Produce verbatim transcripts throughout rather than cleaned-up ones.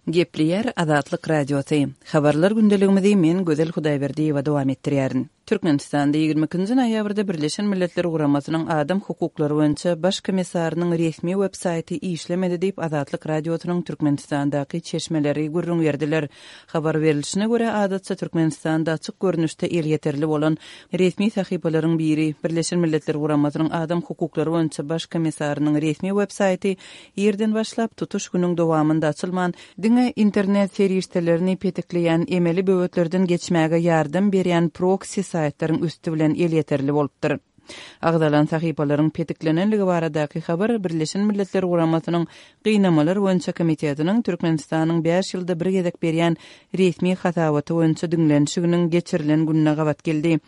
Gepleýär Azatlyk Radiosy. Habarlar gündeligimizi men Gözel Hudaýberdiýewa dowam etdirýärin. Türkmenistanda ýigrimi ikinji noýabrda Birleşen Milletler Guramasynyň Adam hukuklary boýunça Baş komissarynyň resmi web saýty işlemedi diýip, Azatlyk Radiosynyň Türkmenistandaky çeşmeleri gürrüň berdiler. Habar berlişine görä, adatça Türkmenistanda açyk görnüşde elýeterli bolan resmi sahypalaryň biri, Birleşen Milletler Guramasynyň Adam hukuklary boýunça Baş komissarynyň resmi web saýty irden başlap, tutuş günüň dowamynda açylman, diňe internet serişdelerini petikleýän emeli böwetlerden geçmäge ýardam berýän proksi saýtlaryň üsti bilen elýeterli bolupdyr. Agzalan sahypalaryň petiklenenligi baradaky habar Birleşen Milletler Guramasynyň Gynamalar boýunça komitetiniň Türkmenistanyň bäş ýylda bir gezek berýän resmi hasabaty boýunça diňlenişiginiň geçirilen gününe gabat geldi.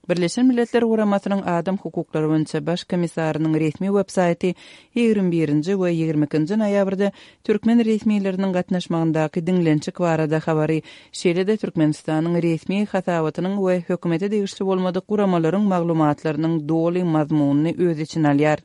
Birleşen Milletler Guramasynyň Adam hukuklary boýunça Baş komissarynyň resmi web-saýty ýigrimi birinji we ýigrimi ikinji noýabrda türkmen resmileriniň gatnaşmagyndaky diňlenişik barada habary, şeýle-de Türkmenistanyň resmi hasabatynyň we hökümete degişli bolmadyk guramalaryň maglumatlarynyň doly mazmunyny öz içine alýar.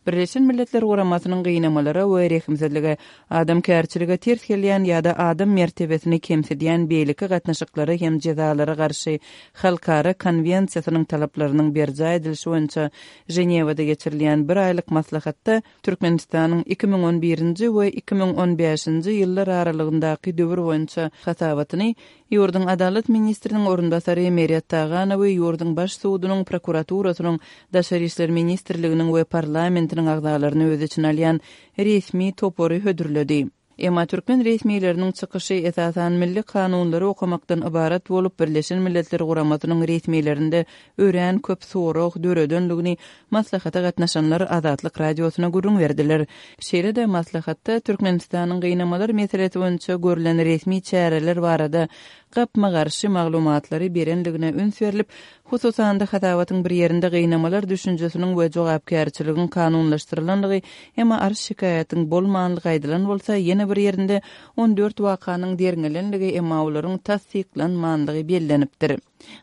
Birleşen Milletler Guramasynyň gynamalara we rehimsizlige, adamkärçilige ters gelýän ýa-da adam mertebesini kemsidýän beýleki gatnaşyklara hem jezalara garşy halkara konwensiýasynyň talaplarynyň berjaý edilişi boýunça Ženewada geçirilýän bir aýlyk maslahatda Türkmenistanyň iki müň on birinji we iki müň on bäşinji ýyllar aralygyndaky döwür boýunça hasabatyny ýurduň Adalat ministriniň orunbasary Meret Taganowy ýurduň Baş sudunyň, prokuraturasynyň, Daşary işler ministrliginiň we parlamentiniň agzalaryny öz içine alýan resmi topary hödürledi. Emma türkmen resmileriniň çykyşy esasan milli kanunlary okamakdan ybarat bolup, Birleşen Milletler Guramasynyň resmilerinde örän köp sorag döredenligini maslahata gatnaşanlar Azatlyk Radiosyna gürrüň berdiler. Şeýle-de maslahatda Türkmenistanyň gynamalar meselesi boýunça görlen resmi çäreler barada gapma-garşy maglumatlary berenligine üns berlip, hususan-da hasabatyň bir ýerinde gynamalar düşünjesiniň we jogapkärçiligiň kanunlaşdyrylanlygy, emma arz-şikaýatyň bolmanlygy aýdylan bolsa, ýene bir ýerinde on dört wakanyň derňelenligi, emma olaryň tassyklanmanlygy bellenipdir.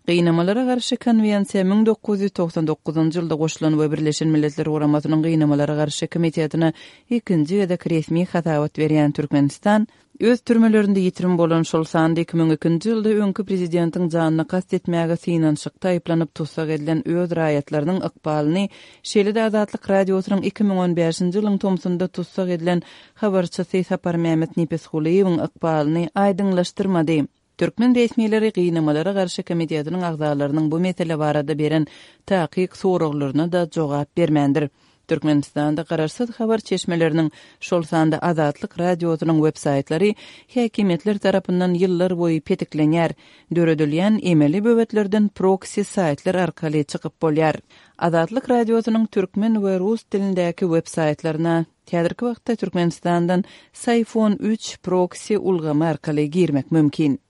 Gynamalara garşy konwensiýa müň dokuz ýüz togsan dokuzynjy ýylda goşulan we Birleşen Milletler Guramasynyň Gynamalara garşy komitetine ikinji gezek resmi hasabat berýän Türkmenistan, öz türmelerinde ýitirim bolan, şol sanda iki müň ikinji ýylda öňki prezidentiň janyna kast etmäge synanyşykda aýyplanyp tussag edilen öz raýatlarynyň ykbalyny, şeýle-de Azatlyk Radiosynyň iki müň on bäşinji ýylyň tomsunda tussag edilen habarçysy Saparmämmet Nepesgulyýewiň ykbalyny aýdyňlaşdyrmady. Türkmen resmileri Gynamalara garşy komitetiniň agzalarynyň bu mesele barada beren takyk soraglaryna-da jogap bermändir. Türkmenistanda garaşsyz habar çeşmeleriniň, şol sanda Azatlyk Radiosynyň web-saýtlary häkimiýetler tarapyndan ýyllar boýy petiklenýär, döredilýän emeli böwetlerden proksi saýtlar arkaly çykyp bolýar. Azatlyk Radiosynyň türkmen we rus dilindäki web-saýtlaryna häzirki wagtda Türkmenistandan Syfon üç proksi ulgamy arkaly girmek mümkin.